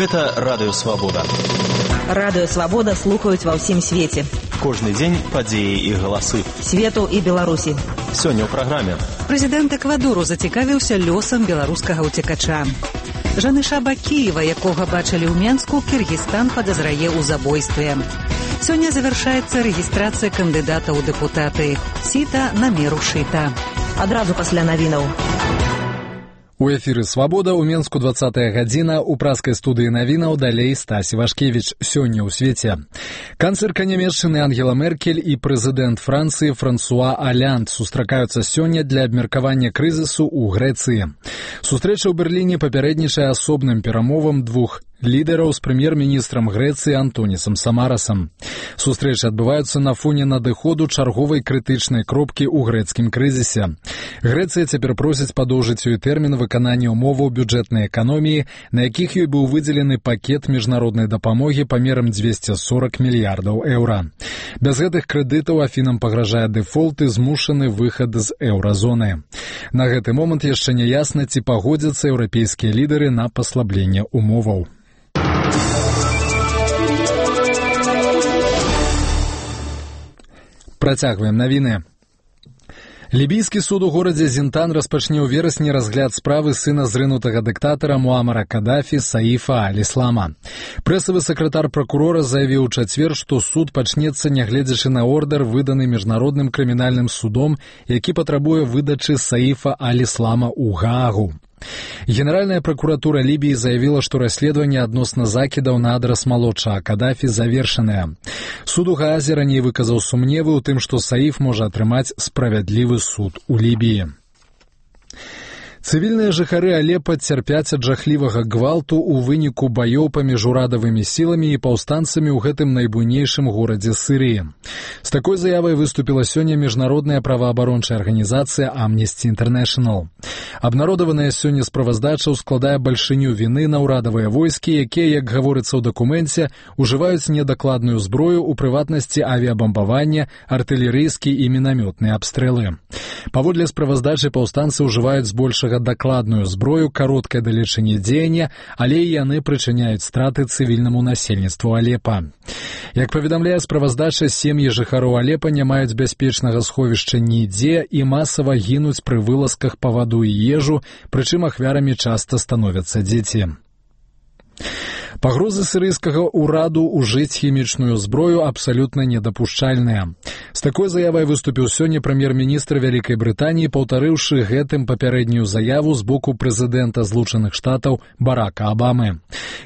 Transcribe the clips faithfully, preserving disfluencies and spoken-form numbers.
Гэта Радыё Свабода. Радыё Свабода слухаюць ва ўсім свеце. Кожны дзень падзеі і галасы. Свету і Беларусі. Сёння ў праграме. Прэзідэнт Эквадору зацікавіўся лёсам беларускага ўцекача. Жаныша Бакіева, якога бачылі ў Менску, Кіргізстан падазрае ў забойстве. Сёння завяршаецца рэгістрацыя кандыдата ў дэпутаты. Сіта на меру шыта. Адразу пасля навінаў. У эфіры «Свабода» ў Менску двадцатая гадзіна, у праскай студыі навінаў далей Стасі Вашкевіч. Сёння ў свеце. Канцлерка Нямецчыны Ангела Меркель і прэзідэнт Францыі Франсуа Алянд сустракаюцца сёння для абмеркавання крызісу ў Грэцыі. Сустрэча ў Берліне папярэднічае асобным перамовам двух лідараў з прэм'ер-міністрам Грэцыі Антонісам Самарасам. Сустрэчы адбываюцца на фоне надыходу чарговай крытычнай кропкі ў грэцкім крызісе. Грэцыя цяпер просіць падоўжыць ёй тэрмін выканання ўмоваў бюджэтнай эканоміі, на якіх ёй быў выдзелены пакет міжнароднай дапамогі памерам дзвесце сорок мільярдаў еўра. Без гэтых крэдытаў Афінам пагражае дэфолт і змушаны выхад з еўразоны. На гэты момант яшчэ не ясна, ці пагодзяцца еўрапейскія лідары на паслабленне умоваў. Працягваем навіны. Лібійскі суд у горадзе Зінтан распачне ў верасні разгляд справы сына зрынутага дыктатара Муамара Кадафі Саіфа аль-Іслама. Прэсавы сакратар пракурора заявіў у чацвер, што суд пачнецца, нягледзячы на ордар, выданы міжнародным крымінальным судом, які патрабуе выдачы Саіфа аль-Іслама ў Гаагу. Генеральная прокуратура Лібіі заявіла, што расследаванне адносна закідаў на адрас малодшага Кадафі завершанае. Суд у Гаазе раней выказаў сумневы ў тым, што Саіф можа атрымаць справядлівы суд у Лібіі. Цывільныя жыхары Алепа цярпяць ад жахлівага гвалту ў выніку баёў паміж урадавымі сіламі і паўстанцамі ў гэтым найбуйнейшым горадзе Сірыі. З такой заявай выступіла сёння міжнародная праваабарончая арганізацыя Amnesty International. Абнародаваная сёння справаздача ўскладае бальшыню віны на ўрадавыя войскі, якія, як гаворыцца ў дакуменце, ужываюць недакладную зброю, у прыватнасці авіябамбавання, артылерыйскі і мінамётныя абстрэлы. Паводле справаздачы паўстанцы ўжываюць збольшага дакладную зброю кароткай далечыні дзеяння, але і яны прычыняюць страты цывільнаму насельніцтву Алепа. Як паведамляе справаздача, сем'і жыхароў Алепа не маюць бяспечнага сховішча нідзе і масава гінуць пры вылазках па ваду і ежу, прычым ахвярамі часта становяцца дзеці. Пагрозы сірыйскага ўраду ўжыць хімічную зброю абсалютна недапушчальныя. З такой заявай выступіў сёння прэм'ер-міністр Вялікай Брытаніі, паўтарыўшы гэтым папярэднюю заяву з боку прэзідэнта Злучаных Штатаў Барака Абамы.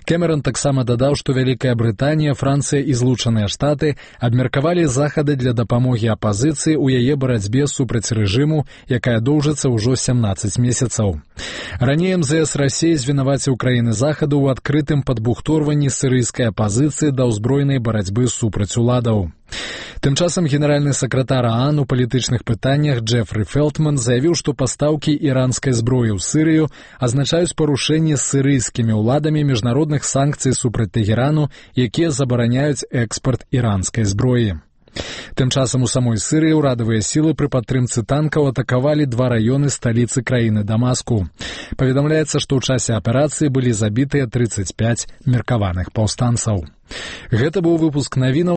Кэмерон таксама дадаў, што Вялікая Брытанія, Францыя і Злучаныя Штаты абмеркавалі захады для дапамогі апазіцыі ў яе барацьбе супраць рэжыму, якая доўжыцца ўжо сямнаццаць месяцаў. Раней эм зэ эс Расіі звінаваціў краіны захаду ў адкрытым падбухторванні сірыйскай апазіцыі да ўзброенай барацьбы супраць уладаў. Тым часам генеральны сакратар ААН у палітычных пытаннях Джефры Фелтман заявіў, што пастаўкі іранскай зброі ў Сірыю азначаюць парушэнне сірыйскімі ўладамі міжнародных санкцый супраць Тэгерану, якія забараняюць экспарт іранскай зброі. Тым часам у самой Сірыі ўрадавыя сілы пры падтрымцы танкаў атакавалі два раёны сталіцы краіны Дамаску. Паведамляецца, што ў часе аперацыі былі забітыя трыццаць пяць меркаваных паўстанцаў. Гэта быў выпуск навінаў.